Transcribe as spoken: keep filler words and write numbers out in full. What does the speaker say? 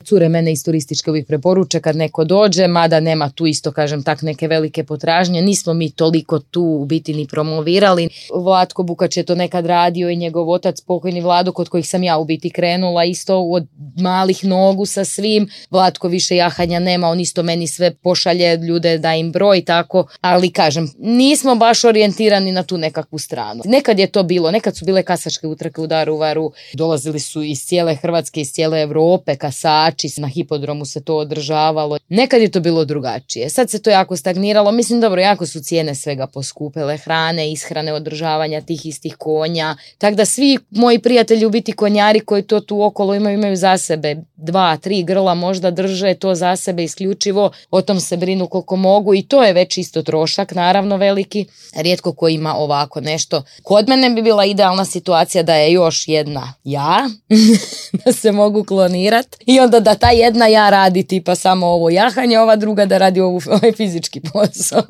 cure mene iz turističke uvijek preporuče kad neko dođe, mada nema tu isto, kažem, tak neke velike potražnje. Nismo mi toliko tu u biti ni promovirali. Vlatko Bukač je to nekad radio i njegov otac, pokojni Vlado, kod kojih sam ja u biti krenula, isto od malih nogu sa svim. Vlatko više jahanja nema, on isto meni sve pošalje ljude da im broj, tako, ali kažem, nismo baš orijentirani na tu nekakvu stranu. Nekad je to bilo, nekad su bile kasačke utrke u Daruvaru, dolazili su iz cijele Hrvatske, iz cijele Europe, kasači, na hipodromu se to održavalo. Nekad je to bilo drugačije. Sad se to jako stagniralo, mislim, dobro, jako su cijene svega poskupele, hrane, ishrane, održavanja tih istih konja, tako da svi moji prijatelji u biti konjari koji to tu okolo imaju, imaju za sebe dva, tri grla možda drže to za sebe isključivo, o tom se brinu koliko mogu i to je već isto trošak, naravno veliki, rijetko ko ima ovako nešto. Kod mene bi bila idealna situacija da je još jedna ja, da se mogu klonirati i onda da ta jedna ja radi tipa samo ovo jahanje, ova druga da radi ovu, ovaj fizički posao.